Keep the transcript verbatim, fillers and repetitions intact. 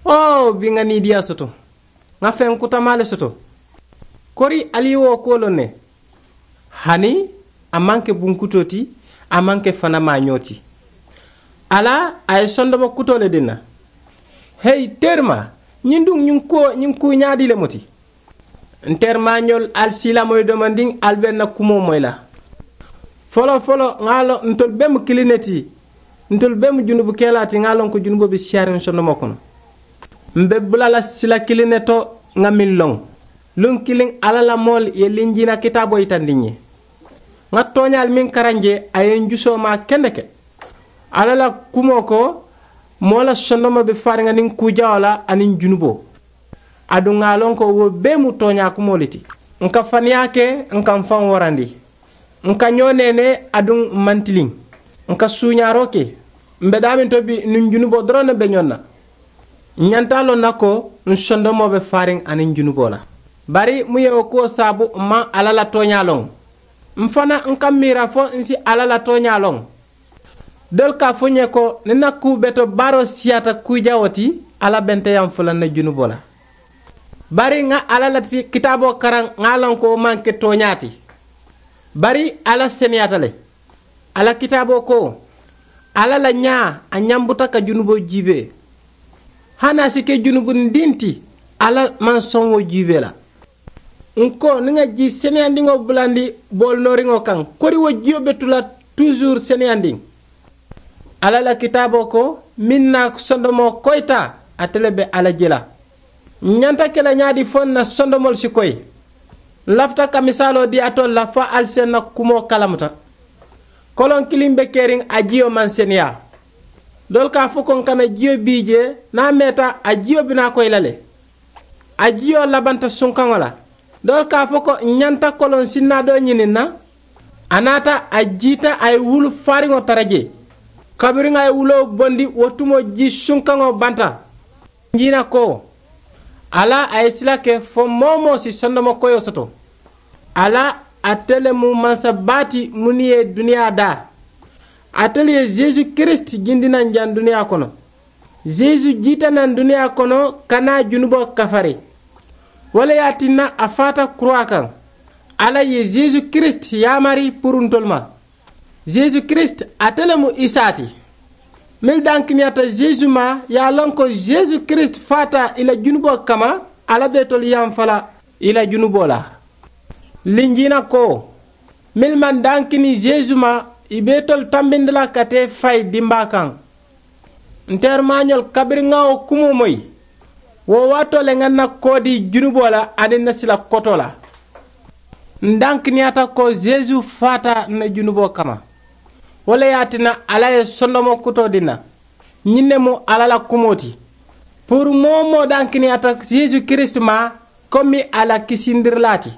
Oo bi ŋa niidiyaa soto. Ŋa feŋ kutamaa le soto. Kori ali ye wo kuwo loŋ ne? Hani a maŋ ke bunkutoo ti. A maŋ ke fanamaañoo ti. Ala a ye sondomo kutoo le dii n na. Heyi teerimaa, ñiŋ duŋ ñiŋ kuwo ñiŋ kuu ñaadii le mu ti? N teerimaañolu, ali siilamoyi domandiŋ, ali be n na kumoo moyi la. Foloo foloo ŋa a loŋ ntolu bee mu kiliŋ ne ti. Ntolu bee mu junubukelaa ti ŋa a loŋ ko junuboo be siyaariŋ sondomoo kono. M be bula la sila kiliŋ ne to ŋa meŋ loŋ. Luŋ kiliŋ alla la moolu ye linjiina kitaaboo yitandi n ye. Ŋa tooñaalu meŋ karaŋ jee a ye n jusoo maa kendeke. Alla la kumoo ko, moo la sondomoo be faariŋ a niŋ kuu jawoo la aniŋ junuboo. Aduŋ ŋa a loŋ ko wo bee mu tooñaa kumoo le ti. N ka faniyaa ke, n ka m faŋ warandi. N ka ñoo neenee aduŋ m maŋ tiliŋ. N ka suuñaaroo ke. M be daameŋ to bi nuŋ junuboo doroŋ ne be ñoŋ na. N ñanta a loŋ na ko, n sondomoo be faariŋ aniŋ junuboo la. Bari muŋ ye wo kuwo saabu m maŋ alla la tooñaa loŋ? M fanaa n ka m miira fo n si alla la tooñaa loŋ? Doolu ka a fo n ye ko, niŋ n na kuu betoo baaroo siyaata kuu jawoo ti, alla be nte yaŋ fo la n na junuboo la. Bari ŋa alla la kitaaboo karaŋ ŋa a loŋ ko wo maŋ ke tooñaa ti. Bari alla seneyaata le. Alla kitaaboo ko, alla la ñaa a ñambuta ka junuboo jiibee. Hani a si ke junubundiŋ ti, alla maŋ soŋ wo jiibee la. N ko niŋ ŋa jii seneyandiŋo bulandi boolu nooriŋo kaŋ, kori wo jiyo be tu la tuusuru seneyandiŋ. Alla la kitaaboo ko, meŋ na sondomoo koyita, ate le be a la je la. N ñanta ke la ñaadii fo n na sondomoolu si koyi? N lafita ka misaaloo dii alitolu la fo ali si n na kumoo kalamuta. Koloŋ kiliŋ be keriŋ a jiyo maŋ seneyaa. Doolu ka a fo ko n kana jiyo bii jee, niŋ a meeta a jiyo bi naa koyi la le. A jiyo labanta sunkaŋo la. Doolu ka a fo ko n ñanta koloŋ sinnaa doo ñini n na. A naata a jiita a ye wulu faariŋo tara jee. Kabiriŋ a ye wuloo bondi wo tumoo jii sunkaŋo banta. Njiina ko, alla a ye sila ke fo moo-wo-moo si sondomo koyoo soto. Alla ate le mu mansa baa ti mennu ye duniyaa daa. Ate le ye yeesu kiristi jindi naŋ jaŋ duniyaa kono. Yeesu jiita naŋ duniyaa kono ka naa junuboo kafari. Wo le ye a tinna a faata kuraa kaŋ. Alla ye yeesu kiristi yaamari puru ntolu ma. Yeesu kiristi ate le mu isaa ti. Mennu dankiniyaata yeesu ma ye a loŋ ko yeesu kiristi faata ì la junuboo kamma. Alla be itolu yamfa la ì la junuboo la. Linjiina ko, mennu maŋ dankini yeesu ma ì be itolu tambindi la ka tee fayi dimbaa kaŋ. N teerimaañolu, kabiriŋ ŋa wo kumoo moyi, wo waatoo le ŋa n na koo dii junuboo la aniŋ n na sila kotoo la. N dankiniyaata ko yeesu faata n na junuboo kamma. Wo le ye a tinna alla ye sondomoo kutoo dii n na. Ñiŋ ne mu alla la kumoo ti. Puru moo-wo-moo dankiniyaata yeesu kiristi ma, komi a la kisindirilaa ti.